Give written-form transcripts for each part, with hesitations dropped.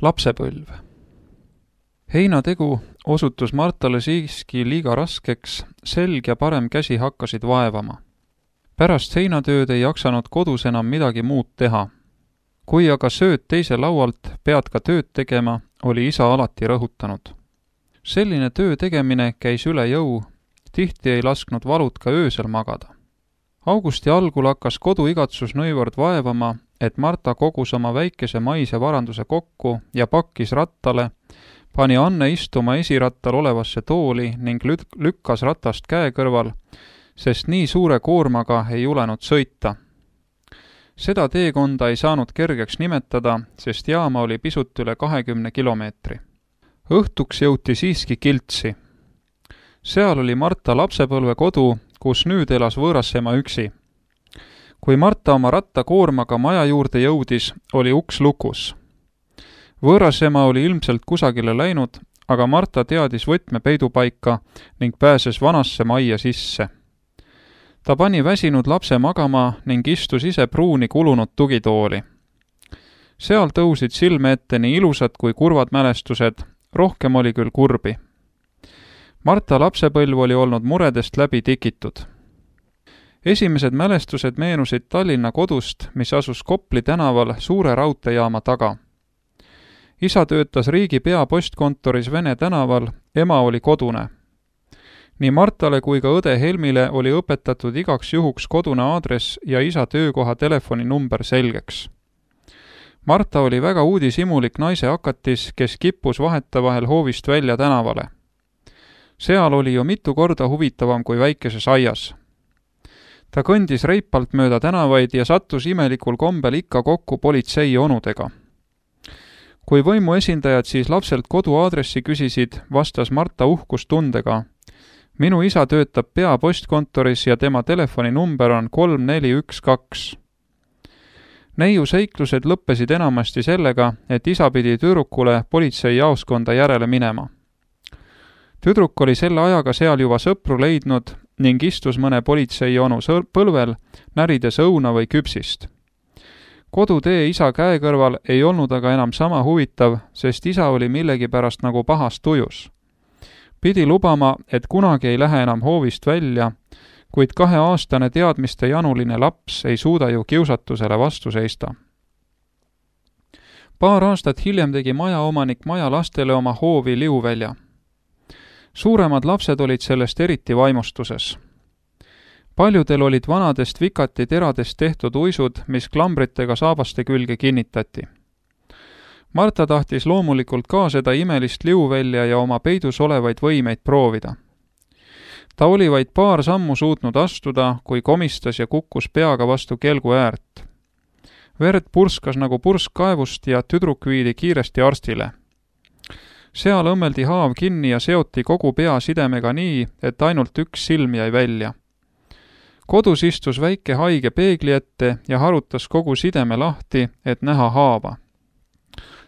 Lapsepõlv. Heinategu osutus Martale siiski liiga raskeks, selg ja parem käsi hakkasid vaevama. Pärast heinatööd ei jaksanud kodus enam midagi muud teha. Kui aga sööd teise laualt, pead ka tööd tegema, oli isa alati rõhutanud. Selline töö tegemine käis üle jõu, tihti ei lasknud valud ka öösel magada. Augusti algul hakkas koduigatsus nõivord vaevama, et Marta kogus oma väikese maise varanduse kokku ja pakkis rattale, pani Anne istuma esirattal olevasse tooli ning lükkas ratast käe kõrval, sest nii suure koormaga ei julenud sõita. Seda teekonda ei saanud kergeks nimetada, sest jaama oli pisut üle 20 kilomeetri. Õhtuks jõuti siiski Kiltsi. Seal oli Marta lapsepõlve kodu, kus nüüd elas võõrasema üksi. Kui Marta oma rattakoormaga maja juurde jõudis, oli uks lukus. Võõrasema oli ilmselt kusagile läinud, aga Marta teadis võtme peidupaika ning pääses vanasse majja sisse. Ta pani väsinud lapse magama ning istus ise pruuni kulunud tugitooli. Seal tõusid silme ette nii ilusad kui kurvad mälestused, rohkem oli küll kurbi. Marta lapsepõlv oli olnud muredest läbi tikitud. Esimesed mälestused meenusid Tallinna kodust, mis asus Kopli tänaval suure raudteejaama taga. Isa töötas riigi peapostkontoris Vene tänaval, ema oli kodune. Nii Martale kui ka õde Helmile oli õpetatud igaks juhuks kodune aadress ja isa töökoha telefoninumber selgeks. Marta oli väga uudishimulik naise hakatis, kes kippus vahetevahel hoovist välja tänavale. Seal oli ju mitu korda huvitavam kui väikeses aias. Ta kõndis reipalt mööda tänavaid ja sattus imelikul kombel ikka kokku politsei onudega. Kui võimu esindajad siis lapselt koduaadressi küsisid, vastas Marta uhkustundega. Minu isa töötab peapostkontoris ja tema telefoninumber on 3412. Neiu seiklused lõppesid enamasti sellega, et isa pidi tüdrukule politseijaoskonda järele minema. Tüdruk oli selle ajaga seal juba sõpru leidnud ning istus mõne politseionu põlvel, närides õuna või küpsist. Kodutee isa käe kõrval ei olnud aga enam sama huvitav, sest isa oli millegipärast nagu pahas tujus. Pidi lubama, et kunagi ei lähe enam hoovist välja, kuid 2-aastane teadmiste januline laps ei suuda ju kiusatusele vastu seista. Paar aastat hiljem tegi majaomanik maja lastele oma hoovi liuvälja. Suuremad lapsed olid sellest eriti vaimustuses. Paljudel olid vanadest vikati teradest tehtud uisud, mis klambritega saabaste külge kinnitati. Marta tahtis loomulikult ka seda imelist liuvälja ja oma peidus olevaid võimeid proovida. Ta oli vaid paar sammu suutnud astuda, kui komistas ja kukkus peaga vastu kelgu äärt. Verd purskas nagu pursk kaevust ja tüdruk viidi kiiresti arstile. Seal õmmeldi haav kinni ja seoti kogu pea sidemega nii, et ainult üks silm jäi välja. Kodus istus väike haige peegli ette ja harutas kogu sideme lahti, et näha haava.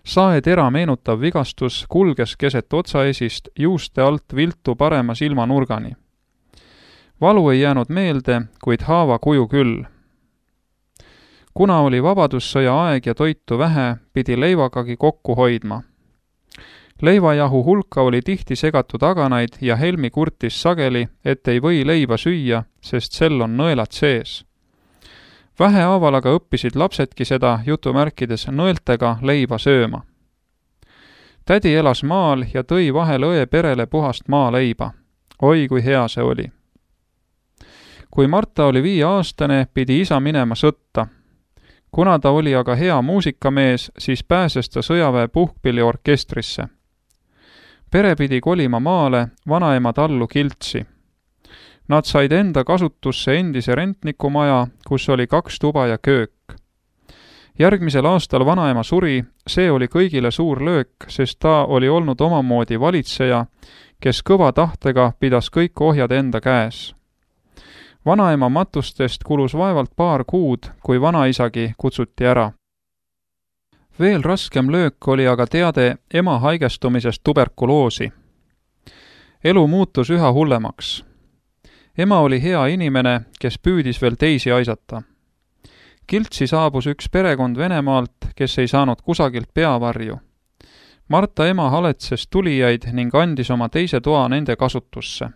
Saetera meenutav vigastus kulges keset otsaesist juuste alt viltu parema silmanurgani. Valu ei jäänud meelde, kuid haava kuju küll. Kuna oli vabadussõja aeg ja toitu vähe, pidi leivagagi kokku hoidma. Leivajahu hulka oli tihti segatud aganaid ja Helmi kurtis sageli, et ei või leiva süüa, sest sel on nõelad sees. Vähehaaval aga õppisid lapsedki seda jutumärkides nõeltega leiva sööma. Tädi elas maal ja tõi vahel õe perele puhast maaleiba. Oi, kui hea see oli. Kui Marta oli 5-aastane, pidi isa minema sõtta. Kuna ta oli aga hea muusikamees, siis pääses ta sõjaväe puhkpilliorkestrisse. Pere pidi kolima maale, vanaema tallu Kiltsi. Nad said enda kasutusse endise rentnikumaja, kus oli 2 tuba ja köök. Järgmisel aastal vanaema suri, see oli kõigile suur löök, sest ta oli olnud omamoodi valitseja, kes kõva tahtega pidas kõik ohjad enda käes. Vanaema matustest kulus vaevalt paar kuud, kui vanaisagi kutsuti ära. Veel raskem löök oli aga teade ema haigestumisest tuberkuloosi. Elu muutus üha hullemaks. Ema oli hea inimene, kes püüdis veel teisi aisata. Kiltsi saabus üks perekond Venemaalt, kes ei saanud kusagilt peavarju. Marta ema haletses tulijaid ning andis oma teise toa nende kasutusse.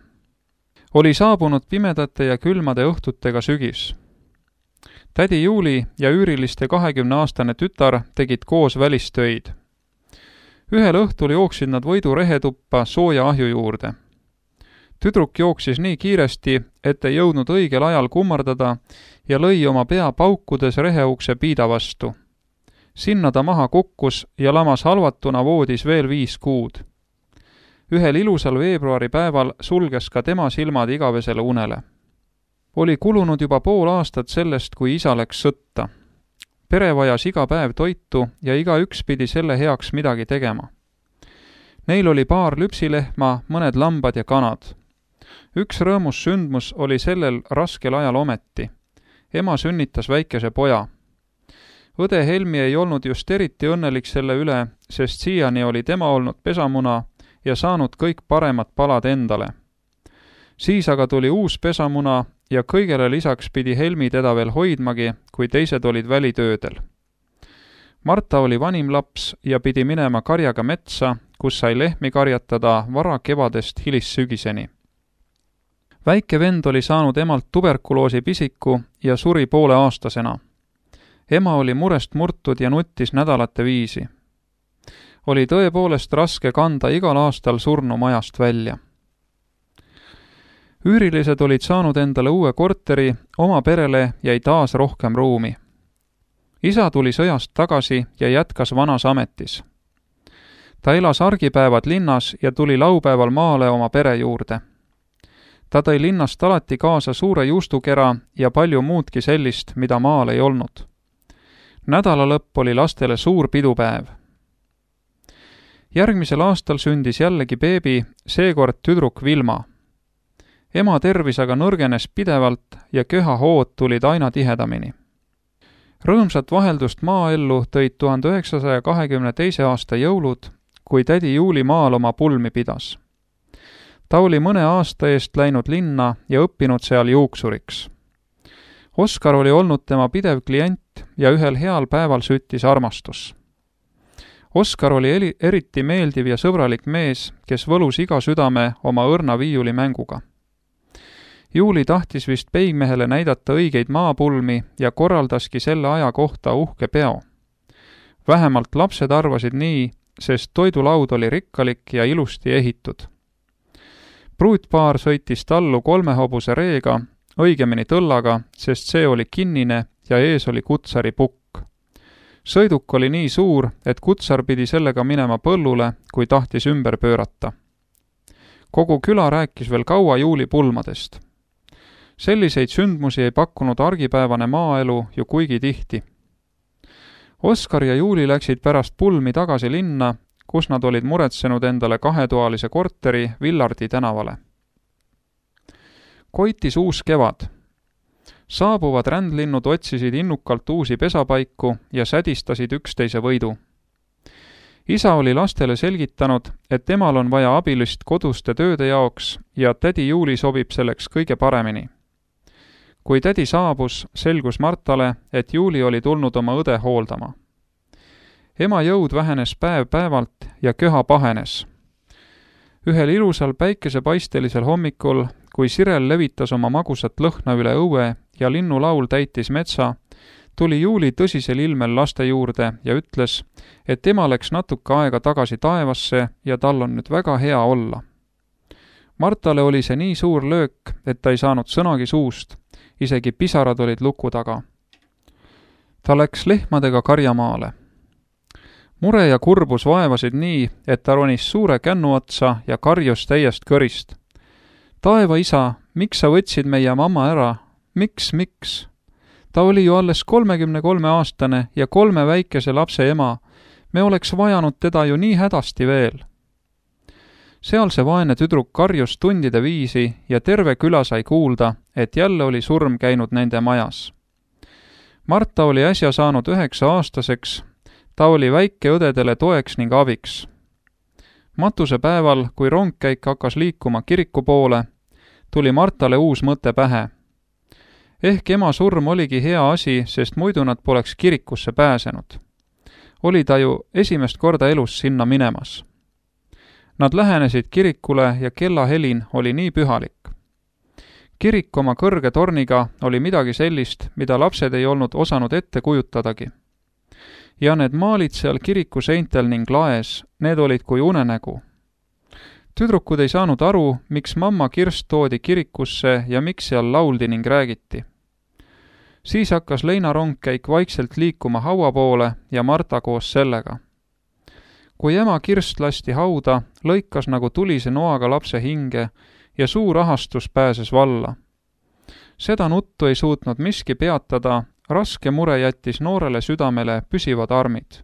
Oli saabunud pimedate ja külmade õhtutega sügis. Tädi Juuli ja üüriliste 20-aastane tütar tegid koos välistöid. Ühel õhtul jooksid nad Võidu rehetuppa sooja ahju juurde. Tüdruk jooksis nii kiiresti, et ei jõudnud õigel ajal kummardada ja lõi oma pea paukudes reheukse piida vastu. Sinna ta maha kukkus ja lamas halvatuna voodis veel 5 kuud. Ühel ilusal veebruaripäeval sulges ka tema silmad igavesele unele. Oli kulunud juba pool aastat sellest, kui isa läks sõtta. Pere vajas iga päev toitu ja igaüks pidi selle heaks midagi tegema. Neil oli paar lüpsilehma, mõned lambad ja kanad. Üks rõõmus sündmus oli sellel raskel ajal ometi. Ema sünnitas väikese poja. Õde Helmi ei olnud just eriti õnnelik selle üle, sest siiani oli tema olnud pesamuna ja saanud kõik paremad palad endale. Siis aga tuli uus pesamuna ja kõigele lisaks pidi Helmi teda veel hoidmagi, kui teised olid välitöödel. Marta oli vanim laps ja pidi minema karjaga metsa, kus sai lehmi karjatada vara kevadest hilissügiseni. Väike vend oli saanud emalt tuberkuloosi pisiku ja suri 5,5-aastasena. Ema oli murest murtud ja nuttis nädalate viisi. Oli tõepoolest raske kanda igal aastal surnu majast välja. Üürilised olid saanud endale uue korteri, oma perele jäi taas rohkem ruumi. Isa tuli sõjast tagasi ja jätkas vanas ametis. Ta elas argipäevad linnas ja tuli laupäeval maale oma pere juurde. Ta tõi linnast alati kaasa suure juustukera ja palju muudki sellist, mida maal ei olnud. Nädalalõpp oli lastele suur pidupäev. Järgmisel aastal sündis jällegi beebi, seekord tüdruk Vilma. Ema tervis aga nõrgenes pidevalt ja köhahood tulid aina tihedamini. Rõõmsat vaheldust maaellu tõid 1922. aasta jõulud, kui tädi Juuli maal oma pulmi pidas. Ta oli mõne aasta eest läinud linna ja õppinud seal juuksuriks. Oskar oli olnud tema pidev klient ja ühel heal päeval süttis armastus. Oskar oli eriti meeldiv ja sõbralik mees, kes võlus iga südame oma õrna viiulimänguga. Juuli tahtis vist peigmehele näidata õigeid maapulmi ja korraldaski selle aja kohta uhke peo. Vähemalt lapsed arvasid nii, sest toidulaud oli rikkalik ja ilusti ehitud. Pruutpaar sõitis tallu 3 hobuse reega, õigemini tõllaga, sest see oli kinnine ja ees oli kutsari pukk. Sõiduk oli nii suur, et kutsar pidi sellega minema põllule, kui tahtis ümber pöörata. Kogu küla rääkis veel kaua Juuli pulmadest. Selliseid sündmusi ei pakkunud argipäevane maaelu ju kuigi tihti. Oskar ja Juuli läksid pärast pulmi tagasi linna, kus nad olid muretsenud endale 2-toalise korteri Villardi tänavale. Koitis uus kevad. Saabuvad rändlinnud otsisid innukalt uusi pesapaiku ja sädistasid üksteise võidu. Isa oli lastele selgitanud, et temal on vaja abilist koduste tööde jaoks ja tädi Juuli sobib selleks kõige paremini. Kui tädi saabus, selgus Martale, et Juuli oli tulnud oma õde hooldama. Ema jõud vähenes päev-päevalt ja köha pahenes. Ühel ilusal päikesepaistelisel hommikul, kui sirel levitas oma magusat lõhna üle õue ja linnulaul täitis metsa, tuli Juuli tõsisel ilmel laste juurde ja ütles, et ema läks natuke aega tagasi taevasse ja tal on nüüd väga hea olla. Martale oli see nii suur löök, et ta ei saanud sõnagi suust, isegi pisarad olid luku taga. Ta läks lehmadega karjamaale. Mure ja kurbus vaevasid nii, et ta ronis suure kännu otsa ja karjus täiest kõrist. Taeva isa, miks sa võtsid meie mamma ära? Miks? Ta oli ju alles 33-aastane ja 3 väikese lapse ema. Me oleks vajanud teda ju nii hädasti veel. Seal see vaene tüdruk karjus tundide viisi ja terve küla sai kuulda, et jälle oli surm käinud nende majas. Marta oli äsja saanud 9-aastaseks, ta oli väikeõdedele toeks ning abiks. Matusepäeval, kui rongkäik hakkas liikuma kiriku poole, tuli Martale uus mõte pähe. Ehk ema surm oligi hea asi, sest muidu nad poleks kirikusse pääsenud. oli ta ju esimest korda elus sinna minemas. Nad lähenesid kirikule ja kellahelin oli nii pühalik. Kirik oma kõrge torniga oli midagi sellist, mida lapsed ei olnud osanud ette kujutadagi. Ja need maalid seal kiriku seintel ning laes, need olid kui unenägu. Tüdrukud ei saanud aru, miks mamma kirst toodi kirikusse ja miks seal lauldi ning räägiti. Siis hakkas leinarongkäik vaikselt liikuma haua poole ja Marta koos sellega. Kui ema kirst lasti hauda, lõikas nagu tulise noaga lapse hinge ja suur ahastus pääses valla. Seda nuttu ei suutnud miski peatada, raske mure jättis noorele südamele püsivad armid.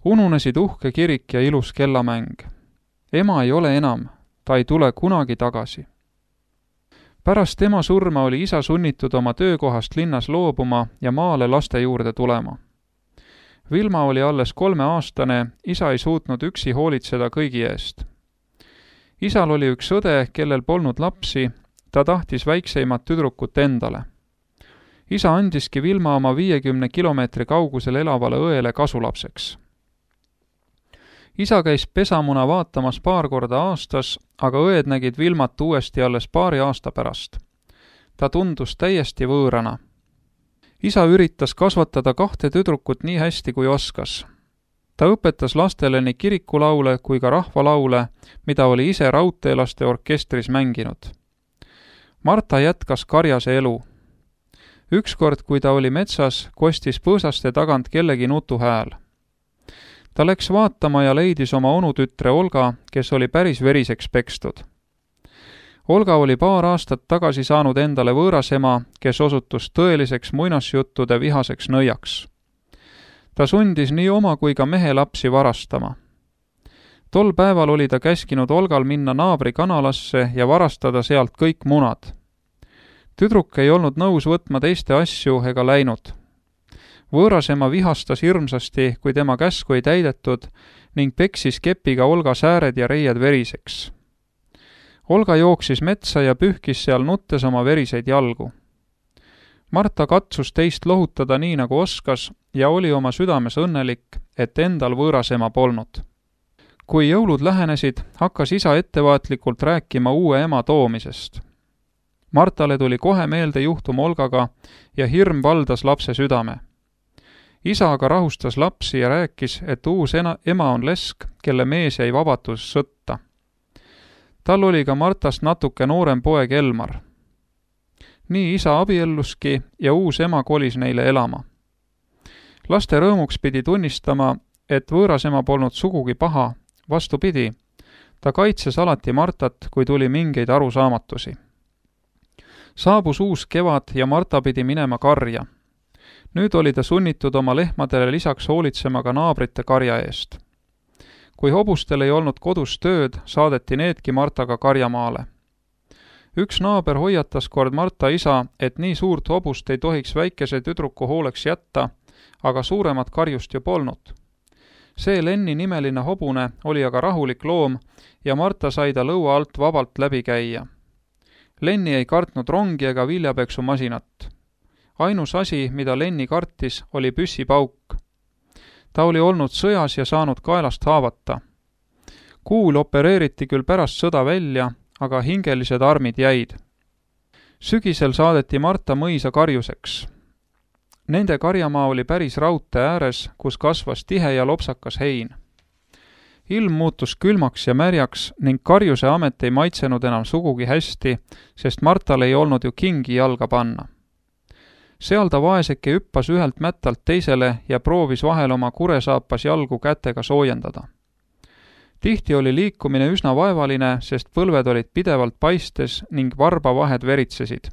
Ununesid uhke kirik ja ilus kellamäng. Ema ei ole enam, ta ei tule kunagi tagasi. Pärast tema surma oli isa sunnitud oma töökohast linnas loobuma ja maale laste juurde tulema. Vilma oli alles 3-aastane, isa ei suutnud üksi hoolitseda kõigi eest. Isal oli üks õde, kellel polnud lapsi, ta tahtis väikseimat tüdrukut endale. Isa andiski Vilma oma 50 kilomeetri kaugusel elavale õele kasulapseks. Isa käis pesamuna vaatamas paar korda aastas, aga õed nägid Vilmat uuesti alles paari aasta pärast. Ta tundus täiesti võõrana. Isa üritas kasvatada 2 tüdrukut nii hästi kui oskas. Ta õpetas lastele nii kirikulaule kui ka rahvalaule, mida oli ise raudteelaste orkestris mänginud. Marta jätkas karjase elu. Ükskord, kui ta oli metsas, kostis põõsaste tagant kellegi nutuhääl. Ta läks vaatama ja leidis oma onutütre Olga, kes oli päris veriseks pekstud. Olga oli paar aastat tagasi saanud endale võõrasema, kes osutus tõeliseks muinasjuttude vihaseks nõiaks. Ta sundis nii oma kui ka mehe lapsi varastama. Tol päeval oli ta käskinud Olgal minna naabri kanalasse ja varastada sealt kõik munad. Tüdruk ei olnud nõus võtma teiste asju ega läinud. Võõrasema vihastas hirmsasti, kui tema käsku ei täidetud ning peksis kepiga Olga sääred ja reied veriseks. Olga jooksis metsa ja pühkis seal nuttes oma veriseid jalgu. Marta katsus teist lohutada nii nagu oskas ja oli oma südames õnnelik, et endal võõrasema polnud. Kui jõulud lähenesid, hakkas isa ettevaatlikult rääkima uue ema toomisest. Martale tuli kohe meelde juhtum Olgaga ja hirm valdas lapse südame. Isa aga rahustas lapsi ja rääkis, et uus ema on lesk, kelle mees jäi vabatus sõtta. Tal oli ka Martast natuke noorem poeg Elmar. Nii isa abielluski ja uus ema kolis neile elama. Laste rõõmuks pidi tunnistama, et võõras ema polnud sugugi paha, vastupidi, ta kaitses alati Martat, kui tuli mingeid arusaamatusi. Saabus uus kevad ja Marta pidi minema karja. Nüüd oli ta sunnitud oma lehmadele lisaks hoolitsema ka naabrite karja eest. Kui hobustel ei olnud kodus tööd, saadeti needki Martaga karjamaale. Üks naaber hoiatas kord Marta isa, et nii suurt hobust ei tohiks väikese tüdruku hooleks jätta, aga suuremat karjust ju polnud. See Lenni nimeline hobune oli aga rahulik loom ja Marta sai ta lõua alt vabalt läbi käia. Lenni ei kartnud rongi ega viljapeksumasinat. Ainus asi, mida Lenni kartis, oli püssipauk. Ta oli olnud sõjas ja saanud kaelast haavata. Kuul opereeriti küll pärast sõda välja, aga hingelised armid jäid. Sügisel saadeti Marta mõisa karjuseks. Nende karjamaa oli päris raudtee ääres, kus kasvas tihe ja lopsakas hein. Ilm muutus külmaks ja märjaks ning karjuse amet ei maitsenud enam sugugi hästi, sest Martal ei olnud ju kingi jalga panna. Seal ta vaeseke hüppas ühelt mättalt teisele ja proovis vahel oma kuresaapas jalgu kätega soojendada. Tihti oli liikumine üsna vaevaline, sest põlved olid pidevalt paistes ning varbavahed veritsesid.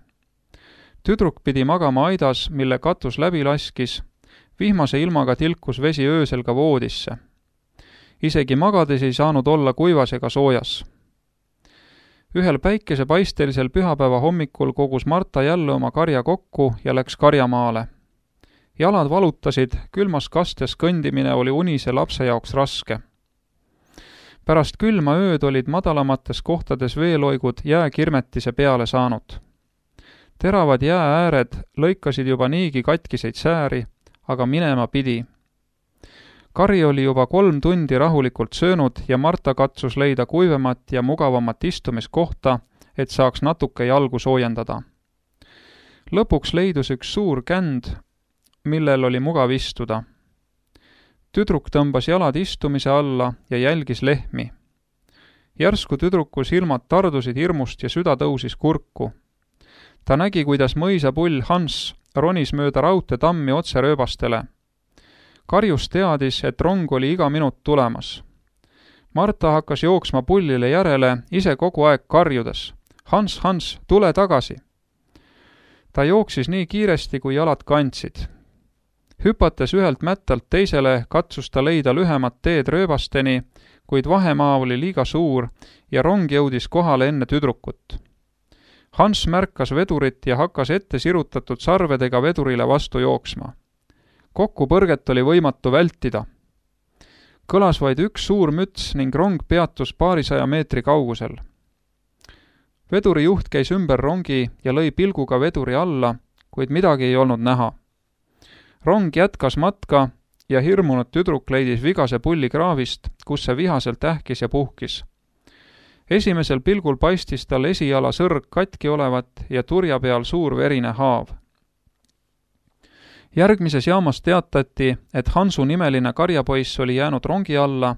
Tüdruk pidi magama aidas, mille katus läbi laskis, vihmase ilmaga tilkus vesi öösel ka voodisse. Isegi magades ei saanud olla kuivas ega soojas. Ühel päikesepaistelisel pühapäeva hommikul kogus Marta jälle oma karja kokku ja läks karjamaale. Jalad valutasid, külmas kastes kõndimine oli unise lapse jaoks raske. Pärast külma ööd olid madalamates kohtades veeloigud jääkirmetise peale saanud. Teravad jääääred lõikasid juba niigi katkiseid sääri, aga minema pidi. Kari oli juba 3 tundi rahulikult söönud ja Marta katsus leida kuivemat ja mugavamat istumiskohta, et saaks natuke jalgu soojendada. Lõpuks leidus üks suur känd, millel oli mugav istuda. Tüdruk tõmbas jalad istumise alla ja jälgis lehmi. Järsku tüdruku silmad tardusid hirmust ja süda tõusis kurku. Ta nägi, kuidas mõisapull Hans ronis mööda raudteetammi otse rööbastele. Karjus teadis, et rong oli iga minut tulemas. Marta hakkas jooksma pullile järele, ise kogu aeg karjudes. Hans, Hans, tule tagasi! Ta jooksis nii kiiresti, kui jalad kandsid. Hüpates ühelt mättalt teisele, katsus ta leida lühemat teed rööbasteni, kuid vahemaa oli liiga suur ja rong jõudis kohale enne tüdrukut. Hans märkas vedurit ja hakkas ette sirutatud sarvedega vedurile vastu jooksma. Kokkupõrget oli võimatu vältida. Kõlas vaid üks suur müts ning rong peatus paarisaja meetri kaugusel. Veduri juht käis ümber rongi ja lõi pilguga veduri alla, kuid midagi ei olnud näha. Rong jätkas matka ja hirmunud tüdruk leidis vigase pulli kraavist, kus see vihaselt ähkis ja puhkis. Esimesel pilgul paistis tal esijala sõrg katki olevat ja turja peal suur verine haav. Järgmises jaamas teatati, et Hansu nimeline karjapoiss oli jäänud rongi alla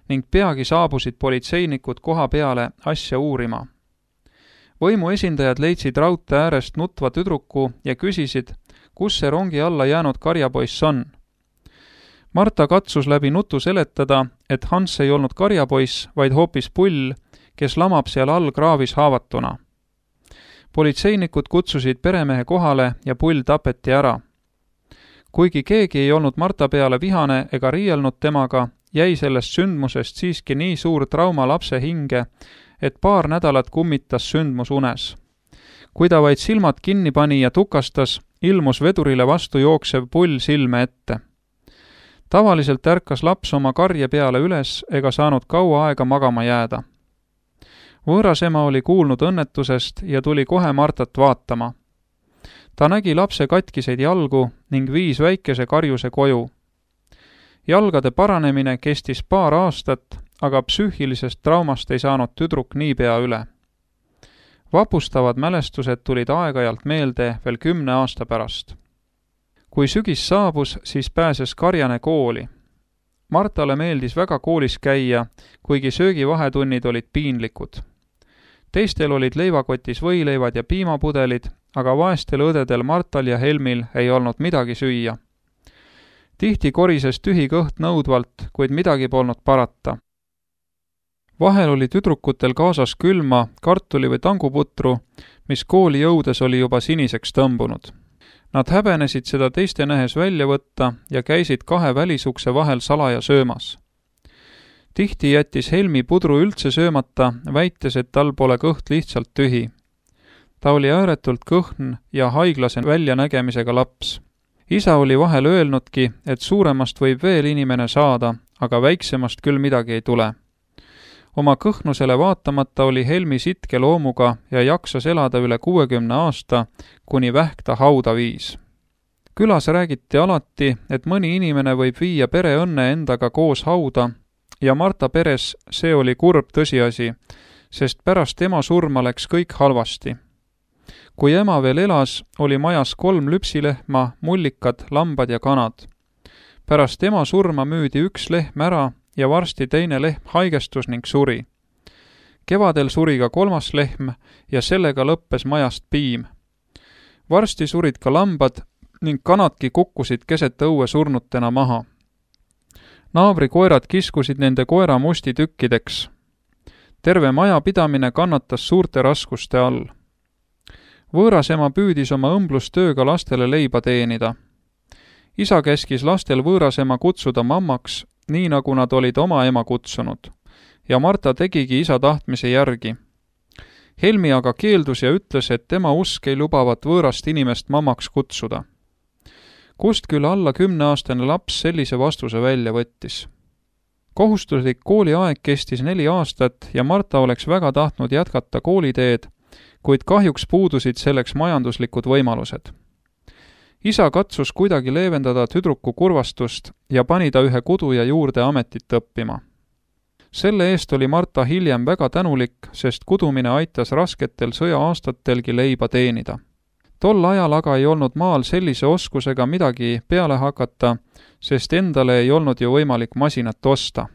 ning peagi saabusid politseinikud koha peale asja uurima. Võimu esindajad leidsid raudtee äärest nutva tüdruku ja küsisid, kus see rongi alla jäänud karjapoiss on. Marta katsus läbi nutu seletada, et Hans ei olnud karjapoiss, vaid hoopis pull, kes lamab seal all kraavis haavatuna. Politseinikud kutsusid peremehe kohale ja pull tapeti ära. Kuigi keegi ei olnud Marta peale vihane ega riielnud temaga, jäi sellest sündmusest siiski nii suur trauma lapse hinge, et paar nädalat kummitas sündmus unes. Kui ta vaid silmad kinni pani ja tukastas, ilmus vedurile vastu jooksev pull silme ette. Tavaliselt ärkas laps oma karje peale üles ega saanud kaua aega magama jääda. Võõrasema oli kuulnud õnnetusest ja tuli kohe Martat vaatama. Ta nägi lapse katkiseid jalgu ning viis väikese karjuse koju. Jalgade paranemine kestis paar aastat, aga psüühilisest traumast ei saanud tüdruk niipea üle. Vapustavad mälestused tulid aeg-ajalt meelde veel 10 aasta pärast. Kui sügis saabus, siis pääses karjane kooli. Martale meeldis väga koolis käia, kuigi söögivahetunnid olid piinlikud. Teistel olid leivakotis võileivad ja piimapudelid, aga vaestel õdedel Martal ja Helmil ei olnud midagi süüa. Tihti korises tühi kõht nõudvalt, kuid midagi polnud parata. Vahel oli tüdrukutel kaasas külma, kartuli või tanguputru, mis kooli jõudes oli juba siniseks tõmbunud. Nad häbenesid seda teiste nähes välja võtta ja käisid 2 välisukse vahel salaja söömas. Tihti jättis Helmi pudru üldse söömata, väites, et tal pole kõht lihtsalt tühi. Ta oli ääretult kõhn ja haiglase väljanägemisega laps. Isa oli vahel öelnudki, et suuremast võib veel inimene saada, aga väiksemast küll midagi ei tule. Oma kõhnusele vaatamata oli Helmi sitke loomuga ja jaksas elada üle 60 aasta, kuni vähk ta hauda viis. Külas räägiti alati, et mõni inimene võib viia pere õnne endaga koos hauda ja Marta peres see oli kurb tõsiasi, sest pärast ema surma läks kõik halvasti. Kui ema veel elas, oli majas 3 lüpsilehma, mullikad, lambad ja kanad. Pärast ema surma müüdi 1 lehm ära ja varsti teine lehm haigestus ning suri. Kevadel suri ka 3. lehm ja sellega lõppes majast piim. Varsti surid ka lambad ning kanadki kukkusid keset õue surnutena maha. Naabri koerad kiskusid nende koera musti tükkideks. Terve maja pidamine kannatas suurte raskuste all. Võõrasema püüdis oma õmblustööga lastele leiba teenida. Isa käskis lastel võõrasema kutsuda mammaks, nii nagu nad olid oma ema kutsunud, ja Marta tegigi isa tahtmise järgi. Helmi aga keeldus ja ütles, et tema usk ei lubavat võõrast inimest mammaks kutsuda. Kust küll alla 10-aastane laps sellise vastuse välja võttis. Kohustuslik kooliaeg kestis 4 aastat ja Marta oleks väga tahtnud jätkata kooliteed, kuid kahjuks puudusid selleks majanduslikud võimalused. isa katsus kuidagi leevendada tüdruku kurvastust ja pani ta ühe kuduja juurde ametit õppima. Selle eest oli Marta hiljem väga tänulik, sest kudumine aitas rasketel sõja-aastatelgi leiba teenida. Tol ajal aga ei olnud maal sellise oskusega midagi peale hakata, sest endale ei olnud ju võimalik masinat osta.